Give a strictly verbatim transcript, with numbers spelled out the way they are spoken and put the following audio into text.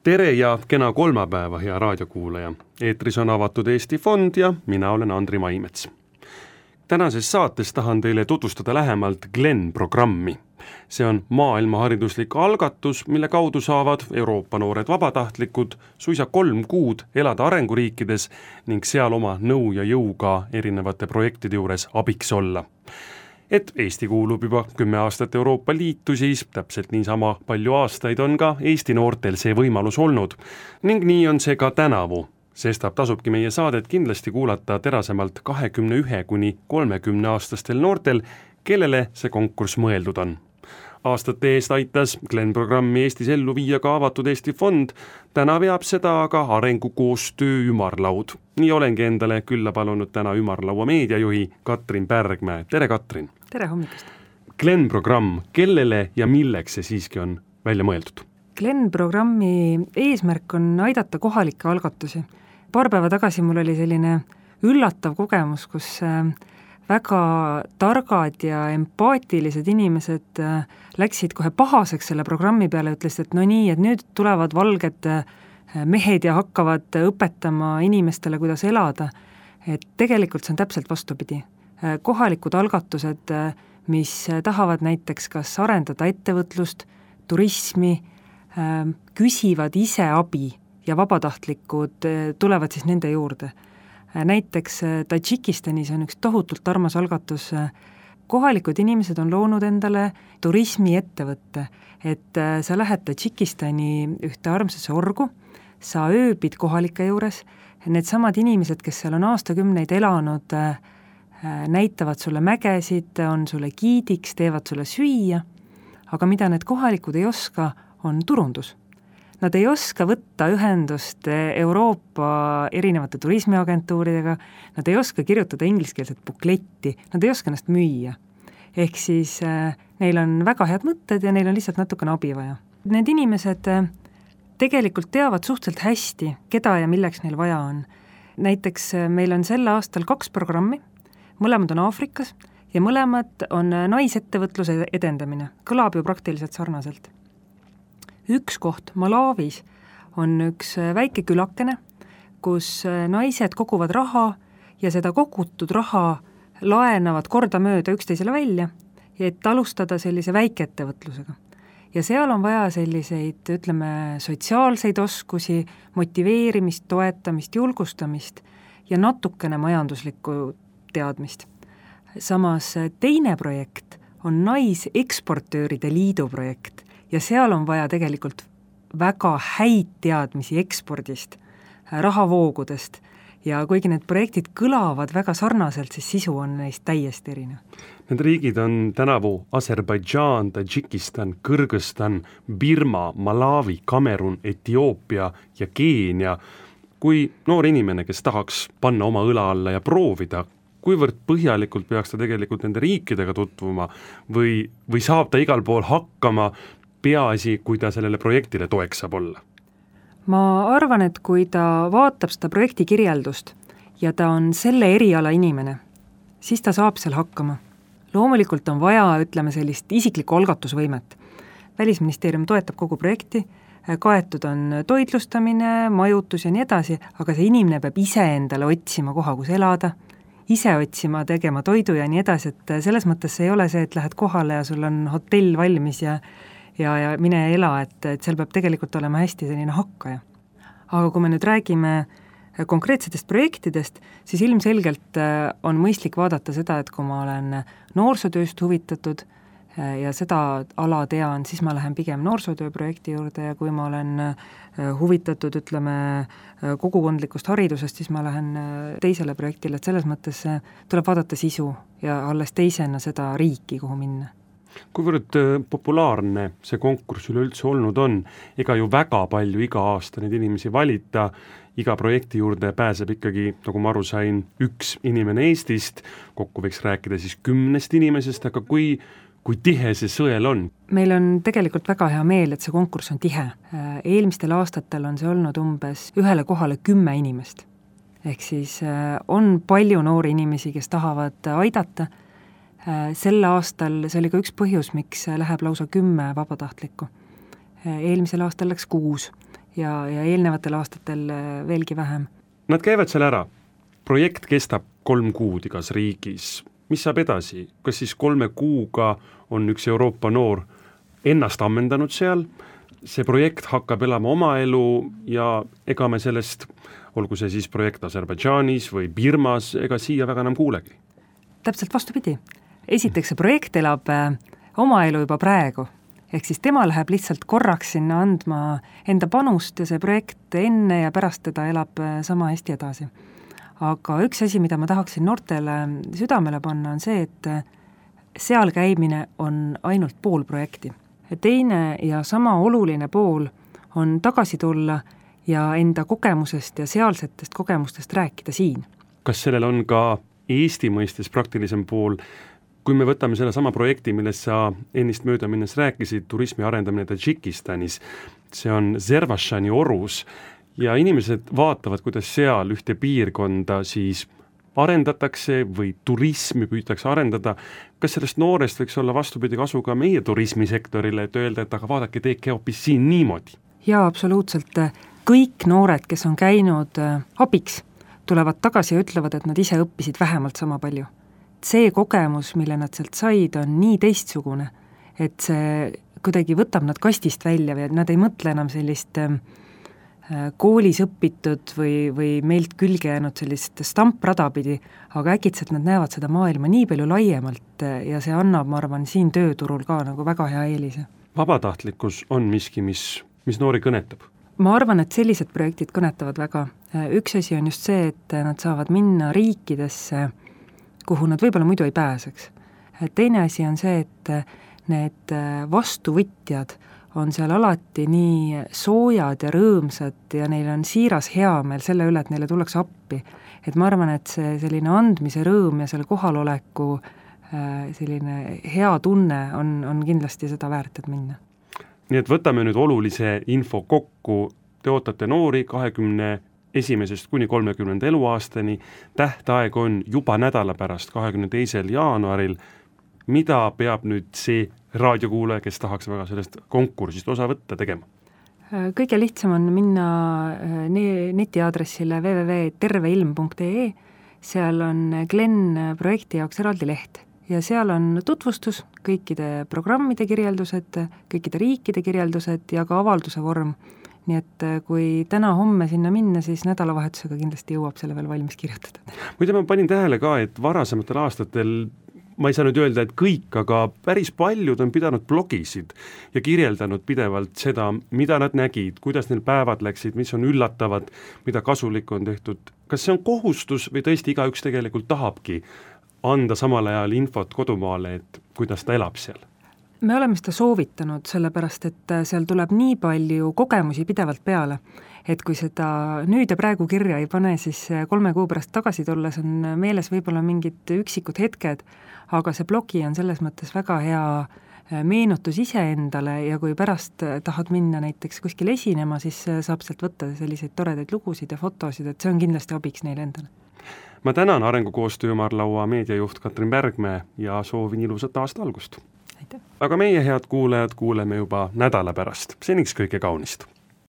Tere ja kena kolmapäeva, hea raadiokuulaja. Eetris on Avatud Eesti Fond ja mina olen Andri Maimets. Tänases saates tahan teile tutvustada lähemalt Glen programmi. See on maailmahariduslik algatus, mille kaudu saavad Euroopa noored vabatahtlikud suisa kolm kuud elada arenguriikides ning seal oma nõu ja jõuga erinevate projektide juures abiks olla. Et Eesti kuulub juba kümme aastat Euroopa Liitu, siis täpselt niisama palju aastaid on ka Eesti noortel see võimalus olnud. Ning nii on see ka tänavu. Sestap tasubki meie saadet kindlasti kuulata terasemalt kahekümne ühe kuni kolmekümne aastastel noortel, kellele see konkurss mõeldud on. Aastate eest aitas Glen programmi Eestis ellu viia ka Avatud Eesti Fond, täna veab seda aga arengukoostöö ümarlaud. Nii olengi endale külla palunud täna ümarlaua meediajuhi Katrin Pärgmäe. Tere, Katrin! Tere hommikust! Glen programm, kellele ja milleks see siiski on välja mõeldud? Glen programmi eesmärk on aidata kohalikke algatusi. Paar päeva tagasi mul oli selline üllatav kogemus, kus väga targad ja empaatilised inimesed läksid kohe pahaseks selle programmi peale, ütlesid, et no nii, et nüüd tulevad valged mehed ja hakkavad õpetama inimestele, kuidas elada. Et tegelikult see on täpselt vastupidi. Kohalikud algatused, mis tahavad näiteks kas arendada ettevõtlust, turismi, küsivad ise abi ja vabatahtlikud tulevad siis nende juurde. Näiteks Tadžikistanis on üks tohutult armas algatus. Kohalikud inimesed on loonud endale turismiettevõtte, et sa lähed Tadžikistani ühte armsasse orgu, sa ööbid kohalike juures, need samad inimesed, kes seal on aastakümneid elanud, näitavad sulle mägesid, on sulle giidiks, teevad sulle süüa, aga mida need kohalikud ei oska, on turundus. Nad ei oska võtta ühendust Euroopa erinevate turismiagentuuridega, nad ei oska kirjutada ingliskeelset bukletti, nad ei oska ennast müüa. Ehk siis äh, neil on väga head mõtted ja neil on lihtsalt natukene abi vaja. Need inimesed äh, tegelikult teavad suhteliselt hästi, keda ja milleks neil vaja on. Näiteks äh, meil on sel aastal kaks programmi, mõlemad on Aafrikas ja mõlemad on naisettevõtluse edendamine. Kõlab ju praktiliselt sarnaselt. Üks koht Malawis on üks väike külakene, kus naised koguvad raha ja seda kogutud raha laenavad korda mööda üksteisele välja, et alustada sellise väikeettevõtlusega. Ja seal on vaja selliseid, ütleme, sotsiaalseid oskusi, motiveerimist, toetamist, julgustamist ja natukene majanduslikku teadmist. Samas teine projekt on Naiseksportööride liidu projekt ja seal on vaja tegelikult väga häid teadmisi ekspordist, rahavoogudest ja kuigi need projektid kõlavad väga sarnaselt, siis sisu on neist täiesti erinev. Need riigid on tänavu Aserbaidžaan, Tadžikistan, Kõrgõzstan, Birma, Malawi, Kamerun, Etioopia ja Keenia. Kui noor inimene, kes tahaks panna oma õla alla ja proovida, kuivõrd põhjalikult peaks ta tegelikult nende riikidega tutvuma või, või saab ta igal pool hakkama, peaasi, kui ta sellele projektile toeks saab olla? Ma arvan, et kui ta vaatab seda projekti kirjeldust ja ta on selle eriala inimene, siis ta saab seal hakkama. Loomulikult on vaja, ütleme, sellist isiklikku algatusvõimet. Välisministeerium toetab kogu projekti, kaetud on toitlustamine, majutus ja nii edasi, aga see inimene peab ise endale otsima koha, kus elada, ise otsima, tegema toidu ja nii edasi, et selles mõttes ei ole see, et lähed kohale ja sul on hotell valmis ja ja, ja mine ela, et, et seal peab tegelikult olema hästi selline hakkaja. Aga kui me nüüd räägime konkreetsetest projektidest, siis ilmselgelt on mõistlik vaadata seda, et kui ma olen noorsootööst huvitatud ja seda ala tean, siis ma lähen pigem noorsootööprojekti juurde ja kui ma olen huvitatud, ütleme, kogukondlikust haridusest, siis ma lähen teisele projektile, et selles mõttes tuleb vaadata sisu ja alles teisena seda riiki, kuhu minna. Kuivõrd populaarne see konkurss üleüldse olnud on, ega ju väga palju iga aasta neid inimesi valita, iga projekti juurde pääseb ikkagi, nagu ma aru sain, üks inimene Eestist, kokku võiks rääkida siis kümnest inimesest, aga kui, kui tihe see sõel on? Meil on tegelikult väga hea meel, et see konkurss on tihe. Eelmistel aastatel on see olnud umbes ühele kohale kümme inimest. Ehk siis on palju noori inimesi, kes tahavad aidata. Sel aastal, see oli ka üks põhjus, miks läheb lausa kümme vabatahtlikku. Eelmisel aastal läks kuus ja, ja eelnevatel aastatel veelgi vähem. Nad käivad seal ära, projekt kestab kolm kuud igas riigis, mis saab edasi, kas siis kolme kuuga on üks Euroopa noor ennast ammendanud seal, see projekt hakkab elama oma elu ja ega me sellest, olgu see siis projekt Aserbaidžaanis või Birmas, ega siia väga enam kuulegi. Täpselt vastupidi. Esiteks see projekt elab oma elu juba praegu, ehk siis tema läheb lihtsalt korraks sinna andma enda panust ja see projekt enne ja pärast teda elab sama hästi edasi. Aga üks asi, mida ma tahaksin noortele südamele panna, on see, et seal käimine on ainult pool projekti. Teine ja sama oluline pool on tagasi tulla ja enda kogemusest ja sealsetest kogemustest rääkida siin. Kas sellel on ka Eesti mõistes praktilisem pool, kui me võtame selle sama projekti, millest sa ennist mööda minnes rääkisid, turismi arendamine Tadžikistanis, see on Zervashani orus ja inimesed vaatavad, kuidas seal ühte piirkonda siis arendatakse või turismi püütakse arendada. Kas sellest noorest võiks olla vastupidi kasu ka meie turismisektorile, et öelda, et aga vaadake, teeke hoopis siin niimoodi? Jaa, absoluutselt. Kõik noored, kes on käinud abiks, tulevad tagasi ja ütlevad, et nad ise õppisid vähemalt sama palju. See kogemus, mille nad sealt said, on nii teistsugune, et see kuidagi võtab nad kastist välja või nad ei mõtle enam sellist koolis õpitud või, või meilt külge jäänud sellist stamprada pidi, aga äkitselt nad näevad seda maailma nii palju laiemalt ja see annab, ma arvan, siin tööturul ka nagu väga hea eelise. Vabatahtlikkus on miski, mis, mis noori kõnetab? Ma arvan, et sellised projektid kõnetavad väga. Üks asi on just see, et nad saavad minna riikidesse, kuhu nad võib-olla muidu ei pääseks. Teine asi on see, et need vastuvõtjad on seal alati nii soojad ja rõõmsad ja neil on siiras heameel selle üle, et neile tullakse appi. Et ma arvan, et see selline andmise rõõm ja selle kohaloleku selline hea tunne on, on kindlasti seda väärt, et minna. Nii et võtame nüüd olulise info kokku. Te ootate noori kahekümne esimesest kuni kolmekümnenda eluaastani. Tähtaeg on juba nädala pärast, kahekümne teisel jaanuaril. Mida peab nüüd see raadiokuulaja, kes tahaks väga sellest konkursist osa võtta, tegema? Kõige lihtsam on minna netiaadressile w w w punkt terveilm punkt e e, seal on Glen projekti jaoks eraldi leht ja seal on tutvustus, kõikide programmide kirjeldused, kõikide riikide kirjeldused ja ka avalduse vorm. Nii et kui täna homme sinna minna, siis nädalavahetusega kindlasti jõuab selle veel valmis kirjutada. Muide, ma panin tähele ka, et varasematel aastatel ma ei saa nüüd öelda, et kõik, aga päris paljud on pidanud blogisid ja kirjeldanud pidevalt seda, mida nad nägid, kuidas neil päevad läksid, mis on üllatavad, mida kasulikku on tehtud. Kas see on kohustus või tõesti igaüks tegelikult tahabki anda samal ajal infot kodumaale, et kuidas ta elab seal? Me oleme seda soovitanud, sellepärast, et seal tuleb nii palju kogemusi pidevalt peale, et kui seda nüüd ja praegu kirja ei pane, siis kolme kuu pärast tagasi tulles on meeles võib-olla mingid üksikud hetked, aga see blogi on selles mõttes väga hea meenutus iseendale ja kui pärast tahad minna näiteks kuskil esinema, siis saab sealt võtta selliseid toredaid lugusid ja fotosid, et see on kindlasti abiks neile endale. Ma tänan arengukoostöö ümarlaua meediajuht Katrin Bergmäe ja soovin ilusat aasta algust. Aitäh. Aga meie head kuulajad kuuleme juba nädala pärast. Seniks kõike kaunist.